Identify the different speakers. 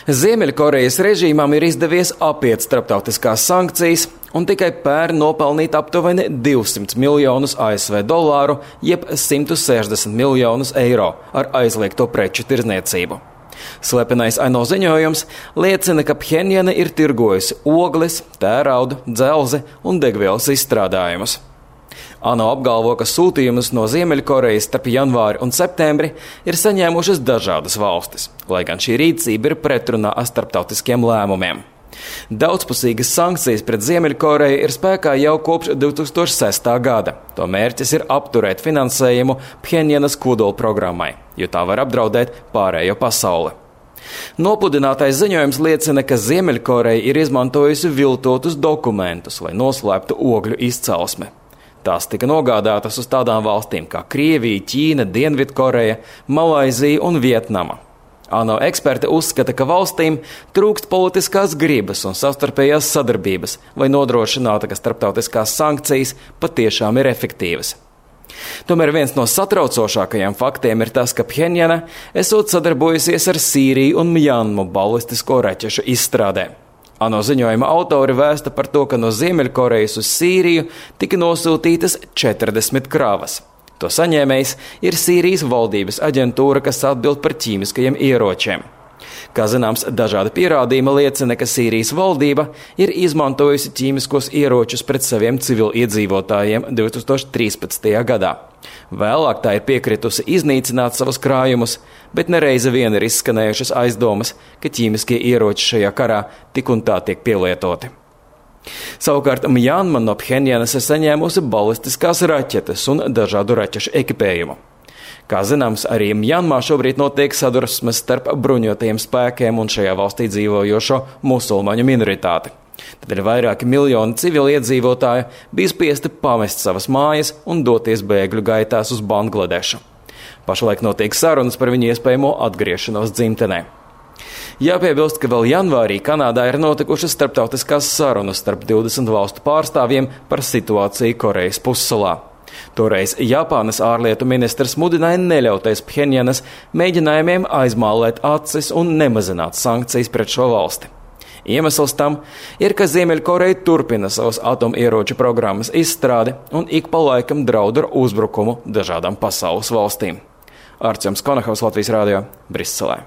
Speaker 1: Ziemeļkorejas režīmam ir izdevies apiet starptautiskās sankcijas un tikai pērn nopelnīt aptuveni 200 miljonus ASV dolāru, jeb 160 miljonus eiro ar aizliegto preču tirdzniecību. Slepenais ANO ziņojums liecina, ka Phenjana ir tirgojusi ogles, tērauda, dzelzi un degvielas izstrādājumus. ANO apgalvo, ka sūtījumus no Ziemeļkorejas starp janvāri un septembri ir saņēmušas dažādas valstis, lai gan šī rīcība ir pretrunā ar starptautiskiem lēmumiem. Daudzpusīgas sankcijas pret Ziemeļkoreju ir spēkā jau kopš 2006. gada. To mērķis ir apturēt finansējumu Phenjanas kodola programmai, jo tā var apdraudēt pārējo pasauli. Nopudinātais ziņojums liecina, ka Ziemeļkoreja ir izmantojusi viltotus dokumentus, lai noslēptu ogļu izcelsmi. Tās tika nogādātas uz tādām valstīm kā Krievija, Ķīna, Dienvidkoreja, Malaizija un Vietnama. ANO eksperti uzskata, ka valstīm trūkst politiskās gribas un savstarpējās sadarbības, lai nodrošinātu, ka starptautiskās sankcijas patiešām ir efektīvas. Tomēr viens no satraucošākajiem faktiem ir tas, ka Phenjana esot sadarbojusies ar Sīriju un Mjanmu balistisko raķešu izstrādē. ANO ziņojuma autori vēsta par to, ka no Ziemeļkorejas uz Sīriju tika nosūtītas 40 kravas. To saņēmējs ir Sīrijas valdības aģentūra, kas atbild par ķīmiskajiem ieročiem. Kā zināms, dažādi pierādījumi liecina, ka Sīrijas valdība ir izmantojusi ķīmiskos ieročus pret saviem civiliedzīvotājiem 2013. gadā. Vēlāk tā ir piekritusi iznīcināt savus krājumus, bet nereizi vien ir izskanējušas aizdomas, ka ķīmiskie ieroči šajā karā tik un tā tiek pielietoti. Savukārt Mjanma no Phenjanas ir saņēmusi balistiskās raķetes un dažādu raķešu ekipējumu. Kā zināms, arī Mjanmā šobrīd notiek sadursmes starp bruņotajiem spēkiem un šajā valstī dzīvojošo musulmaņu minoritāti. Tad ir vairāki miljoni civiliedzīvotāju bija spiesti pamest savas mājas un doties bēgļu gaitās uz Bangladešu. Pašlaik notiek sarunas par viņu iespējamo atgriešanos dzimtenē. Jāpiebilst, ka vēl janvārī Kanādā ir notikušas starptautiskās sarunas starp 20 valstu pārstāvjiem par situāciju Korejas pussalā. Toreiz Japānas ārlietu ministrs mudināja neļauties Phenjanas mēģinājumiem aizmālēt acis un nemazināt sankcijas pret šo valsti. Iemesls tam ir, ka Ziemeļkoreja turpina savas atomieroču programmas izstrādi un ik pa laikam draud ar uzbrukumu dažādām pasaules valstīm. Artjoms Konahaus, Latvijas Rādio, Briselē.